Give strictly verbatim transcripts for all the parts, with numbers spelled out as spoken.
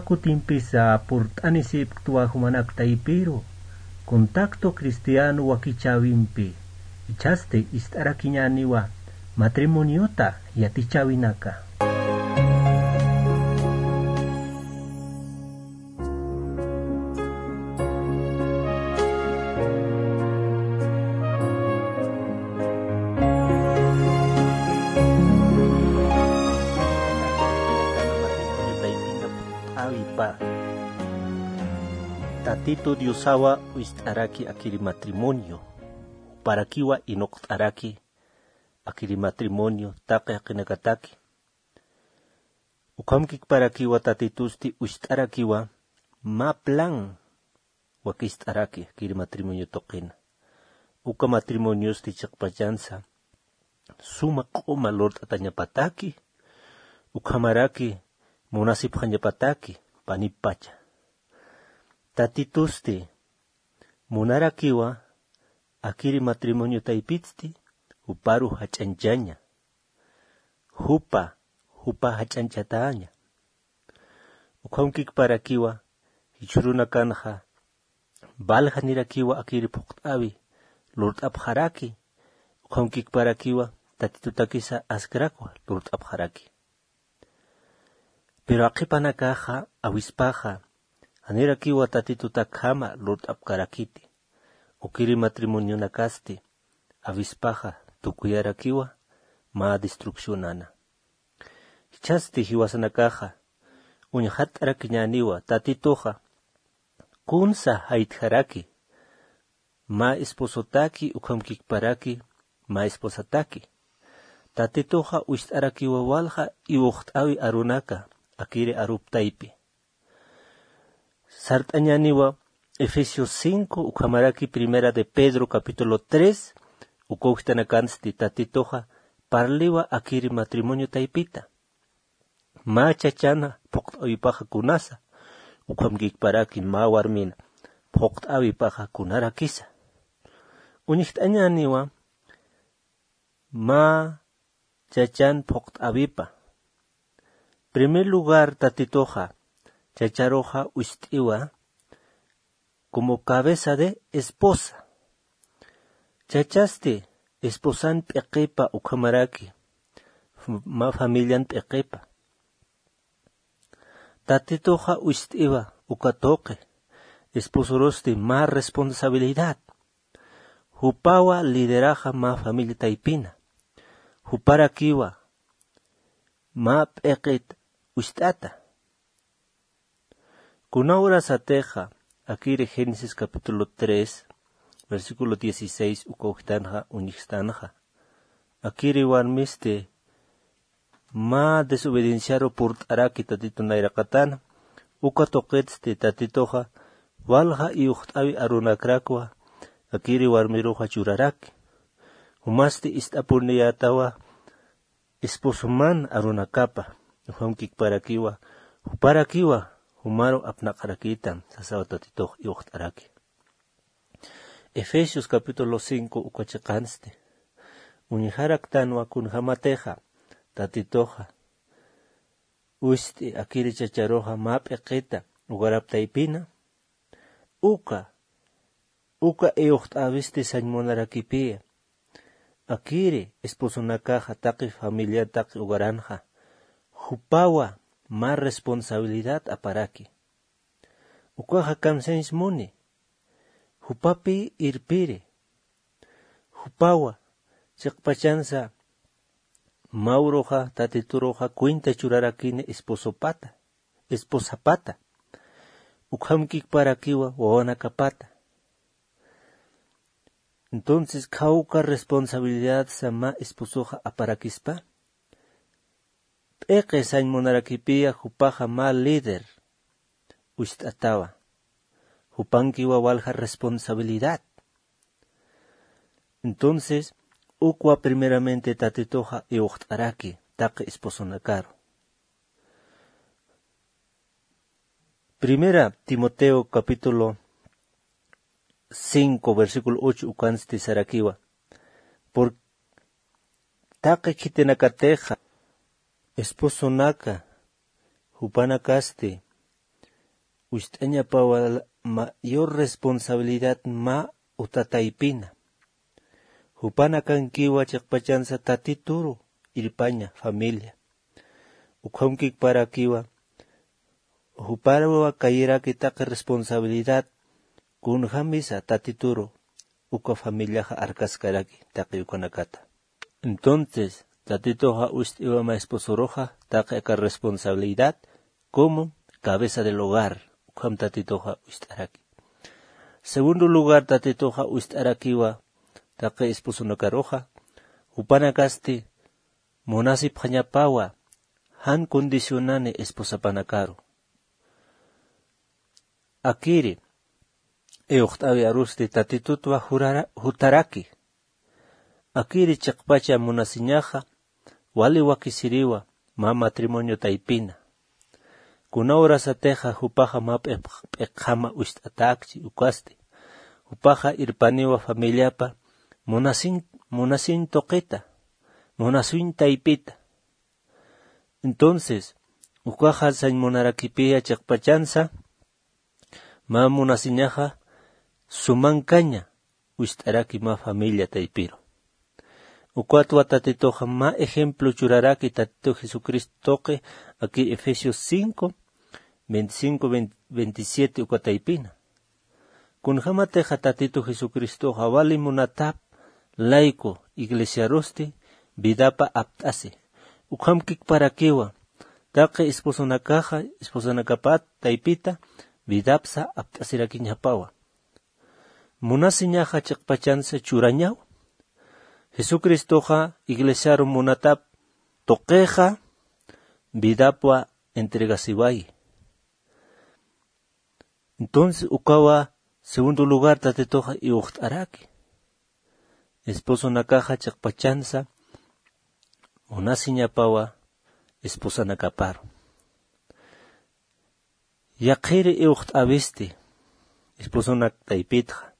Kutimpisa purt'anisipktwa jumanak taypiru, Contacto Cristiano wakichäwimpi, jichhasti ist'arakiñäniwa matrimoniota yatichäwinaka. Tatitu Diosawa wist'araki akiri matrimonio, juparakiwa inuqt'araki akiri matrimonio taqi jaqinakataki. Ukhamkikparakiwa Tatitusti wist'arakiwa mä plan wakist'araki akiri matrimonio tuqina. Uka matrimoniosti chiqpachansa suma q'uma lurt'atañapataki, ukhamaraki munasipxañapataki panippacha. Tatitusti munarakiwa akiri matrimonio taypitsti juparu jach'añchaña. Jupa, jupa jach'añchataña. Ukhamkikparakiwa jichhürunakanxa valjanirakiwa akiri phuqt'äwi lurt'apxaraki, ukhamkikparakiwa Tatitutakisa askrakwa lurt'apxaraki. Pero aqhipanakaxa awispaxa janirakiwa Tatitutakhama lurt'apkarakiti. Ukiri matrimonionakasti awispaxa tukuyarakiwa mä destruccionana. Jichhasti jiwasanakaxa uñjatt'arakiñäniwa Tatituxa kunsa jaytjaraki mä esposotaki ukhamkikparaki mä esposataki. Tatituxa wist'arakiwa walja iwxt'äwi arunaka akiri arup taypi. Sart'añäniwa Efesios cinco ukhamaraki Primera de Pedro capítulo tres, uka ujtanakansti Tatituxa parliwa akiri matrimonio taypita. Mä chachana phuqt'äwipaxa kunasa, ukhamkikparaki mä warmina phuqt'äwipaxa kunarakisa. Uñjt'añäniwa mä chachan phuqt'äwipa. Primer lugar, Tatituxa chacharuxa wist'iwa como cabeza de esposa. Chachasti esposan p'iqipa ukhamaraki f-, mä familian p'iqipa. Tatituxa wist'iwa uka tuqi esposorusti mä responsabilidad. Jupawa lideraxa mä familia taypina. Juparakiwa mä p'iqit wist'ata. Kuna urasatixa akiri Génesis capítulo tres, versículo dieciséis uka ujtanxa uñjstanxa. Akiri warmisti mä desobedienciaru purt'araki Tatitu nayraqatana, uka tuqitsti Tatituxa walja iwxt'äwi arunakrakwa akiri warmiruxa churaraki. Jumasti ist'apuniyätawa esposoman arunakapa, ukhamkikparakiwa, juparakiwa, jumaru apnaqarakïtam, sasawa Tatitux iwxt'araki. Efesios capítulo cinco uka chiqansti. Uñjaraktanwa kunjamatixa, Tatituxa wist'i akiri chacharuxa mä p'iqita ugarap taypina, uka, uka iwxt'äwisti sañ munarakipiya. Akiri esposonakaxa taqi familia taqi ugaranxa, jupawa mä responsabilidad aparaki. Ukaxa kamsañs muni, jupapi irpiri. Jupawa, chiqpachansa mä uruxa, Tatituruxa cuenta churarakini esposopata, esposapata. Ukhamkikparakiwa wawanakapata. Entonces, khawka responsabilidad sa mä esposoxa aparakispa. P'iqi sañ munarakipiya jupaxa mä líder wist'atawa. Jupankiwa walja responsabilidad. Entonces, ukwa primeramente Tatituxa iwxt'araki taqi esposonakaru. Primera Timoteo capítulo cinco, versículo ocho ukansti sarakiwa. Por taqi khitinakatixa esposonaka jupanakasti Wist'añapawa mayor responsabilidad mä uta taypina. Jupanakankiwa chiqpachansa tatituru irpaña familia. Ukhamkikparakiwa juparuwa kayiraki taqi responsabilidad kunjamisa tatituru uka familiaxa arkaskaraki taqi ukanakata. Entonces tatituxa wist'iwama esposoruxa taqi aka responsabilidad como cabeza del hogar ukham tatituxa wist'araki. Segundo lugar tatituxa wist'arakiwa taqi esposonakaruxa jupanakasti munasipxañapawa jan condicionani esposapanakaru. Akiri iwxt'awi arusti tatitutwa jutaraki. Akiri chiqpacha munasiñaxa wali wakisiriwa mä matrimonio taypina. Kuna urasatixa jupaxa mä p'iqjama wist'atakchi ukasti jupaxa irpaniwa familiapa munasiñ munasiñ tuqita munasiñ taypita. Entonces ukaxa sañ munarakipiya chiqpachansa mä munasiñaxa sumankaña wist'araki mä familia taypiru. Ukatwa tatituxa mä ejemplo churaraki tatitu jesucristo tuqi aki efesios cinco veinticinco veintisiete uka taypina. Kunjämatixa tatitu jesucristoxa wali munatap layku iglesiarusti vidapa apt'asi. Ukhamkikparakiwa taqi esposonakaxa esposanakapat taypita vidapsa apt'asirakiñapawa. Munasiñaxa chiqpachansa churañaw. Jesucristoxa iglesiaru munatap tuqixa vidapwa entregasiwayi. Entonces ukawa segundo lugar tatituxa iwxt'araki esposonakaxa chiqpachansa munasiñapawa esposanakaparu. Yaqhiri iwxt'awisti esposonak taypitxa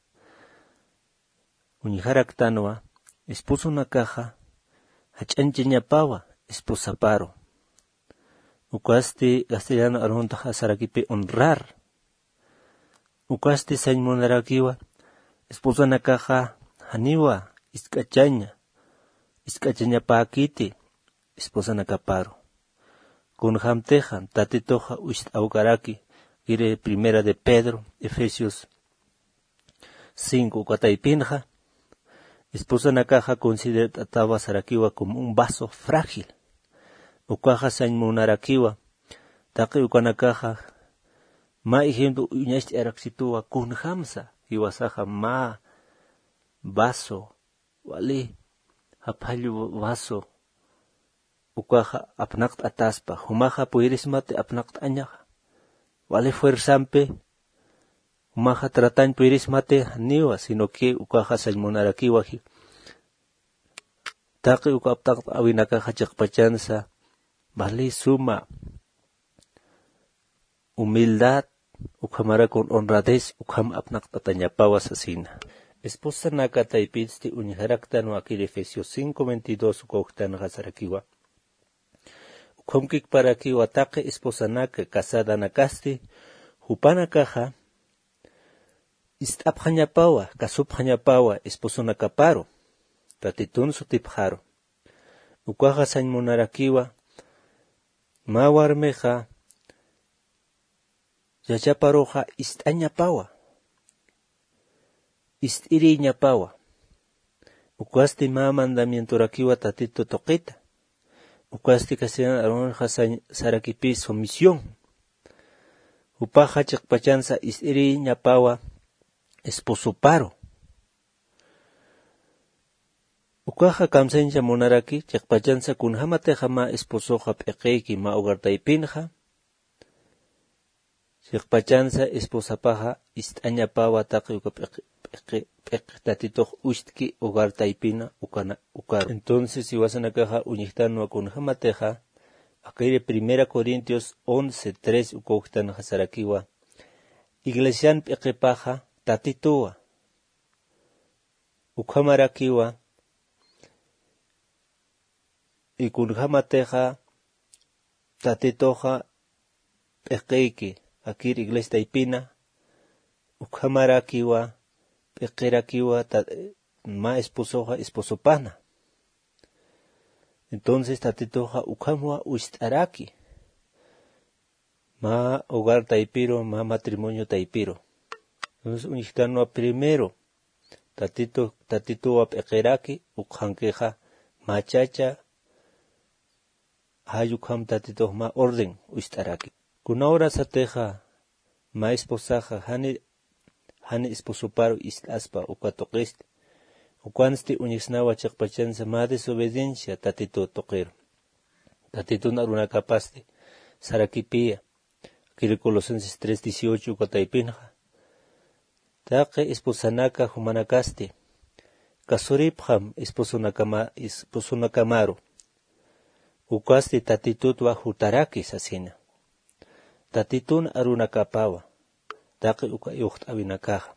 uñjaraktanwa esposonakaxa jach'añchañapawa esposaparu. Ukasti castellano aruntaxa sarakipi honrar. Ukasti sañ munarakiwa esposanakaxa janiwa isk'achaña isk'achañapäkiti esposanakaparu. Kunjämtixa tatituxa wist'awkaraki kiri primera de pedro efesios cinco uka taypinxa esposanakaxa considert'atawa sarakiwa como un vaso frágil. Ukaxa sañ munarakiwa taqi ukanakaxa mä ejemplo uñacht'araksituwa kunjämsa jiwasaxa mä vaso wali japhall vaso ukaxa apnaqt'ataspa jumaxa puyrismati apnaqt'añaxa wali fuerzampi jumaxa tratañ puyrismati janiwa sino que ukaxa sañ munarakiwa taqi uka apnaqt'awinakaxa chiqpachansa wali suma humildad ukhamarakun honradez ukham apnaqt'atañapawa sasina. Esposanaka taypitsti uñjaraktanwa kiri efesios cinco veintidós uka ujtanxa sarakiwa ukhamkikparakiwa taqi esposanaka casadanakasti jupanakaxa ist'apxañapawa kasupxañapawa esposonakaparu tatitun sutipxaru. Ukaxa sañ munarakiwa mä warmixa yachaparuxa ist'añapawa ist'irïñapawa. Ukasti mä mandamientorakiwa tatitu tuqita. Ukasti castellan arunxa sarakipï sumisión. Jupaxa chiqpachansa ist'irïñapawa esposoparu. Ukaxa kamsañcha munaraki chiqpachansa kunjämatixa mä esposoxa p'iqïki mä hogar taypinxa chiqpachansa esposapaxa ist'añapawa taqi uka p'iqi p'iqi p'iqi tatitux ucht'ki hogar taypina ukana ukaru. Entonces jiwasanakaxa uñjtanwa kunjämatixa akiri primera corintios once tres uka ujtanxa sarakiwa iglesian p'iqipaxa tatituwa. Ukhamarakiwa y kunjämatixa tatituxa p'iqïki akir iglesia taypina, ukhamarakiwa, p'iqirakiwa, mä esposoxa esposopana. Entonces tatituxa ukhamwa ucht'araki, mä hogar taypiru, mä matrimonio taypiru. Entonces uñjtanwa primero, tatitu tatituwa p'iqiraki, ukxankixa mä chacha, jay ukham tatitux mä orden ucht'araki. Kuna urasatixa mä esposaxa jani jani esposoparu ist'aspa uka tuqisti, ukansti uñjsnawa chiqpachansa mä desobediencia tatitu tuqiru. Tatitun arunakapasti sarakipiya, akiri Colosenses tres dieciocho uka taypinxa, taqi esposanaka jumanakasti kasuripxam esposonakama esposonakamaru, ukasti tatitutwa jutaraki sasina. Tatitun arunakapawa taqi uka iwxt'awinakaxa.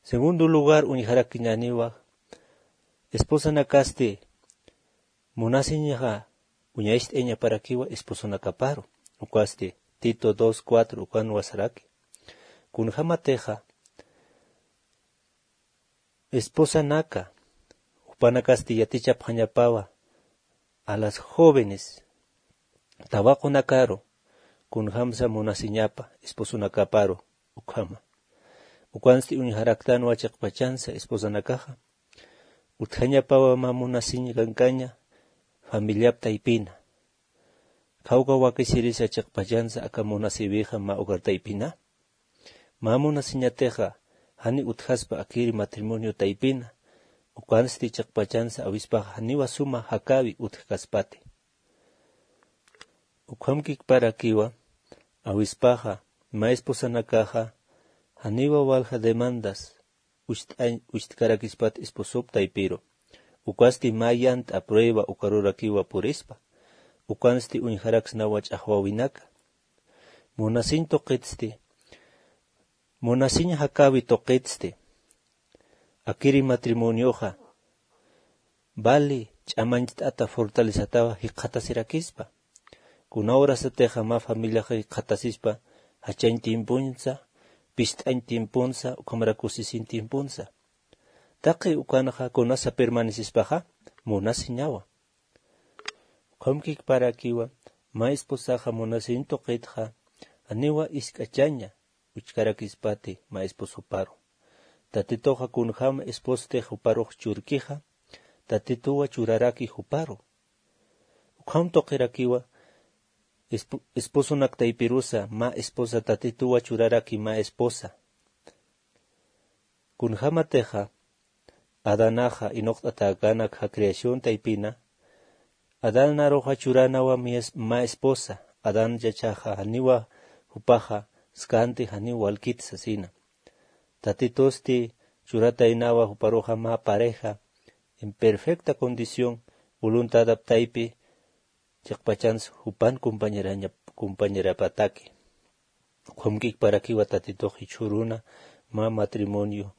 Segundo lugar, uñjarakiñäniwa esposanakasti munasiñxa uñacht'ayañaparakiwa esposonakaparu, ukasti Tito dos cuatro ukanwa saraki. Kunjamatixa esposanaka jupanakasti yatichapxañapawa a las jóvenes tawaqunakaru kunjamsa munasiñapa esposonakaparu ukhama. Ukansti uñjaraktanwa chiqpachansa esposanakaxa utjañapawa mä munasiñ kankaña familiap taypina. Khawka wakisirisa chiqpachansa aka munasïwixa mä hogar taypina. Mä munasiñatixa jani utjaspa akiri matrimonio taypina, ukansti chiqpachansa awispaxa janiwa suma jakäwi utjkaspati. Ukhamkikparakiwa awispaxa mä esposanakaxa janiwa walja demandas ucht'añ ucht'karakispat esposop taypiru. Ukasti mä yant'a prueba ukarurakiwa purispa. Ukansti uñjaraksnawa ch'axwäwinaka. Munasiñ tuqitsti, munasiñ jakäwi tuqitsti akiri matrimonioxa vali ch'amañcht'ata fortalecetawa jikxatasirakispa. Kuna urasatixa mä familiaxa jikxatasispa jachañ tiempunsa, pist'añ tiempunsa, ukhamara kusisiñ tiempunsa. Taqi ukanxa kunasa permanecispaxa munasiñawa. Ukhamkikparakiwa mä esposaxa munasiñ tuqitxa janiwa isk'achaña uchkarakispati mä esposoparu. Tatituxa kunjäm esposti juparux churkixa tatituwa churaraki juparu. Ukham tuqirakiwa esposonak taypirusa mä esposa tatituwa churaraki mä esposa. Kunjämatixa adanaxa inuqt'atäkänak ja creación taypina, adanaruxa churanawa mä esposa. Adan yachaxa janiwa jupaxa skanti janiw walkit sasina. Tatitusti churataynawa juparuxa mä pareja en perfecta condición voluntadap taypi chiqpachans jupan compañerapataki. Ukhamkikparakiwa tatitux jichhüruna mä matrimonio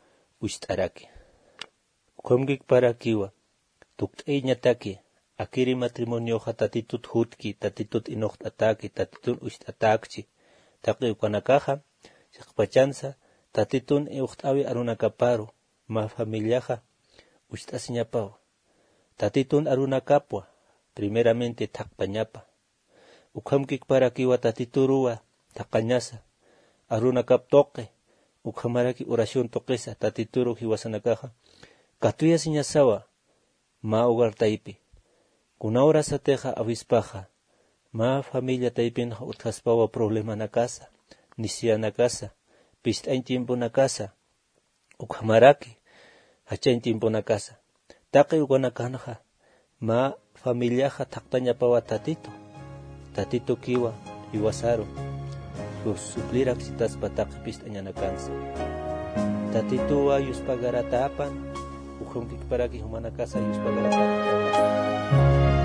ucht'araki. Ukhamkikparakiwa tukt'ayañataki akiri matrimonioxa tatitut jutki, tatitut inuqt'atäki, tatitun ucht'atäkchi. Taqi ukanakaxa chiqpachansa tatitun iwxt'äwi arunakaparu mä familiaxa ucht'asiñapawa. Tatitun arunakapwa primeramente thaqpañapa. Ukhamkikparakiwa tatituruwa thaqañasa arunakap tuqi ukhamaraki oración tuqisa tatituru jiwasanakaxa katuyasiñasawa mä hogar taypi. Kuna urasatixa awispaxa mä familia taypinxa utjaspawa problemanakasa, necesidadnakasa, pist'añ tiemponakasa, ukhamaraki jachañ tiemponakasa. Taqi ukanakanxa mä familiaxa thaqtañapawa tatitu. Tatitukiwa jiwasaru supliraksitaspa taqi pist'añanakansa. Tatituwa yuspagaratäpan. Ukhamkikparaki jumanakasa yuspagaratäpan.